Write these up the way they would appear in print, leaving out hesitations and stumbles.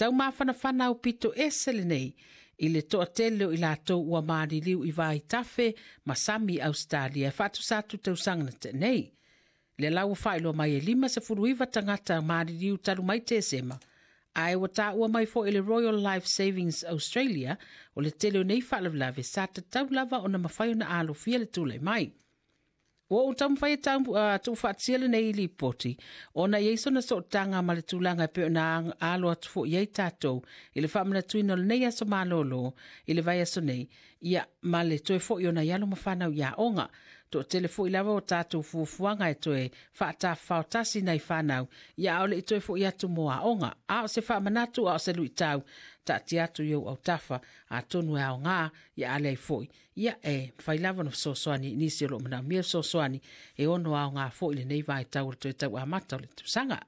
taumafanafana aupito ese lenei i le toatele o i latou ua maliliu i vaitafe ma sami i Ausetalia e faatusa atu tausaga na tea nei. Lea la ua faailoa mai e 59 tagata maliliu talu mai Tesema, ae ua taua mai foi e le Royal Life Savings Australia o le tele o nei faalavelave sa tatau lava ona mafai ona alofia le tulai mai. Ua ou taumafai e tuufaatasia lenei lipoti ona e i ai sona sootaga ma le tulaga e pei ona alo atu foi i ai tatou i le faamanatuina o lenei aso malolo i le vaiaso nei, ia ma le toe foi o nai alo ma fanau i aoga. Toatele foi lava o tatou fuafuaga e toe faatafafao tasi nai fanau, ia a o le i toe foi atu mo aoga. A o se faamanatu, a o se luitau, taatia atu i ou autafa, atonu e aoga, ia a leai foi, ia e mafai lava ona fesoasoani i nisi o lo o manaomia le fesoasoani e ono aoga foi lenei vaitau o le toe tau amata o le tausaga.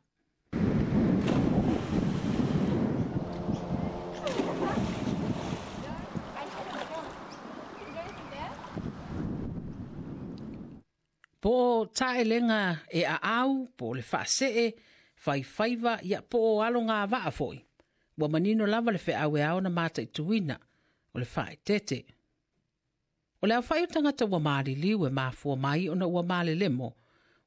Po o taelega e aau, po o le faasee, faifaiva, ia po o alogavaa foi. Ua manino lava le feau e ao ona mataituina, o le faaeteete. O le aofai o tagata ua maliliu e mafua mai ona ua malelemo,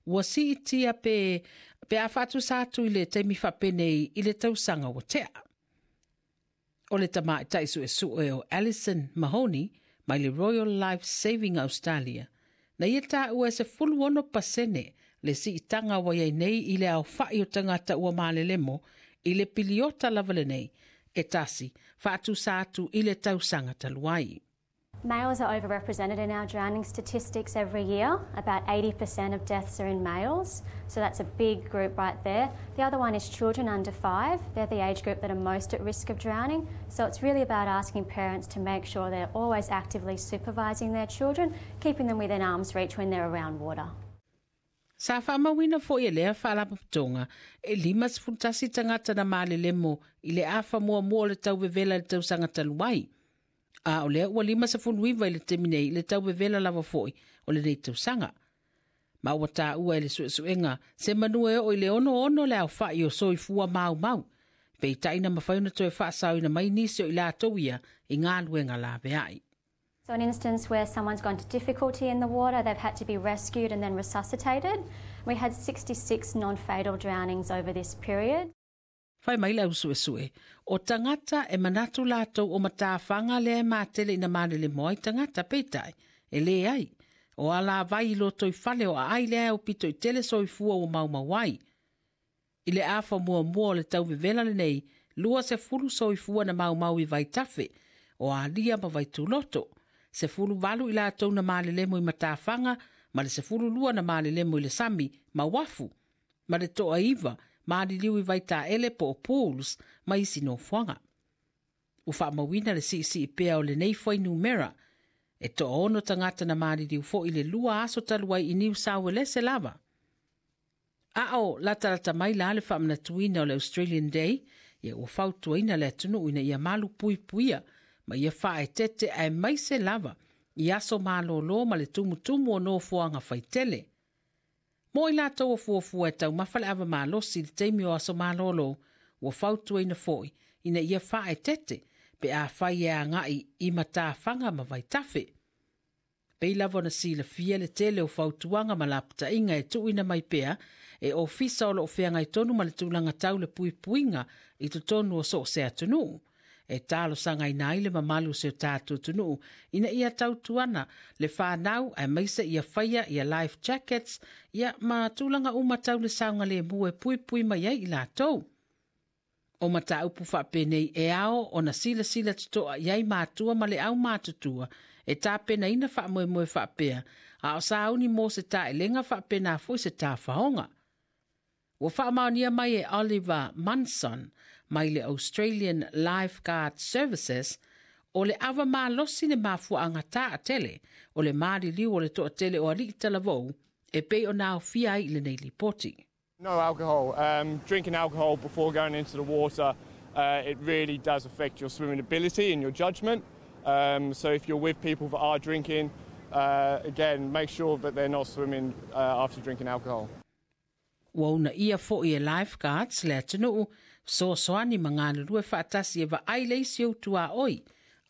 ua siitia pe, pe a faatusa atu i le taimi faapenei i le tausaga ua tea. O le tamaitai suesue o Alison Mahoney mai le Royal Life Saving Australia, na ia taua e 16% le siitaga ua i ai nei i le aofai o tagata ua malelemo i le piliota lava lenei e tasi faatusa atu i le tausaga talu ai. Males are overrepresented in our drowning statistics every year. About 80% of deaths are in males, so that's a big group right there. The other one is children under 5. They're the age group that are most at risk of drowning. So it's really about asking parents to make sure they're always actively supervising their children, keeping them within arm's reach when they're around water. Sa faamauina foi e lea faalapotopotoga e 51 tagata na malelemo i le afa muamua o le tau vevela i le tausaga talu ai. A o lea ua 59 i le taimi nei i le tau vevela lava foi o lenei tausaga. Ma ua taua e le suesuega se manu e oo i le 66 le aofai o soifua maumau, peitai na mafai ona toe faasaoina mai nisi o i latou ia i galuega laveai. So an instance where someone's gone to difficulty in the water, they've had to be rescued and then resuscitated. We had 66 non-fatal drownings over this period. Fai mai le au suesue, o tagata e manatu latou o matafaga lea e matele ina malelemo ai tagata, peitai, e leai. O alavai i lotoifale o aai lea e aupito i tele soifua ua maumau ai. I le afa muamua o le tau vevela lenei, 20 soifua na maumau i Vaitafe, o Alia ma Vaituloto, 18 i latou na malelemo i matafaga ma le 12 na malelemo i le sami ma uafu, ma le toaiva maliliu i Vaitaele po o Pools ma isi nofoaga. Ua faamauina le siisii pea o lenei fuainumera, e toaono tagata na maliliu foi i le 2 aso talu ai i Niu Sauelese lava. A o latalata mai la le faamanatuina o le Australian Day, ia ua fautuaina le atunuu ina ia malu puipuia ma ia faaeteete aemaise lava i aso malolo ma le tumutumu o nofoaga faitele. Mo i latou o fuafua e taumafa le ava malosi i le taimi o aso malolo, ua fautuaina foi ina ia faaeteete pe afai e agai i matafaga ma vaitafe. Pei lava ona silafia le tele o fautuaga ma lapataiga e tuuina mai pea e ofisa o lo o feagai tonu ma le tulaga tau le puipuiga i totonu o so o se atunuu. E talosagaina ai le mamalu o si o tatou atunuu ina ia tautuana le fanau aemaise ia faia ia life jackets ia ma tulaga uma tau le saogalemu e puipui mai ai i latou. O mataupu faapenei e ao ona silasila totoa i ai matua ma le aumatutua e tapenaina faamoemoe faapea, a o sauni mo se taelega faapena foi se tafaoga. Ua faamaonia mai e Oliver Munson mai le Australian Lifeguard Services o le ava malosi le mafuaaga taatele o le maliliu o le toatele o alii talavou e pei ona aofia ai i lenei lipoti. No alcohol. Drinking alcohol before going into the water, it really does affect your swimming ability and your judgment. So if you're with people that are drinking, again, make sure that they're not swimming after drinking alcohol. Ua uunaia foi e lifeguards le atunuu Fesoasoani ma galulue faatasi e vaai le isi ou tuaoi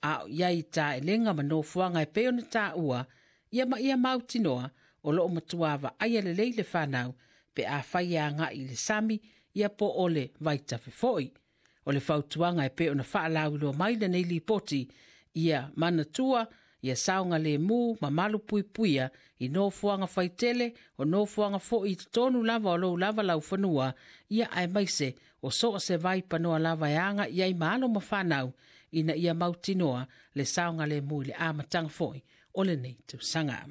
a o i ai i taelega ma nofoaga e pei ona taua, ia ma ia mautinoa o loo matua vaaia lelei le fanau pe afai e agai i le sami ia po o le vaitafe foi. O le fautuaga e pei ona faalauiloa mai lenei lipoti, ia manatua ia saogalemu ma malupuipuia i nofoaga faitele o nofoaga foi i totonu lava o lou lava laufanua, ia aemaise o so o se vai panoa lava e agai ai ma alo ma fanau ina ia mautinoa le saogalemu i le amataga foi o lenei tausaga.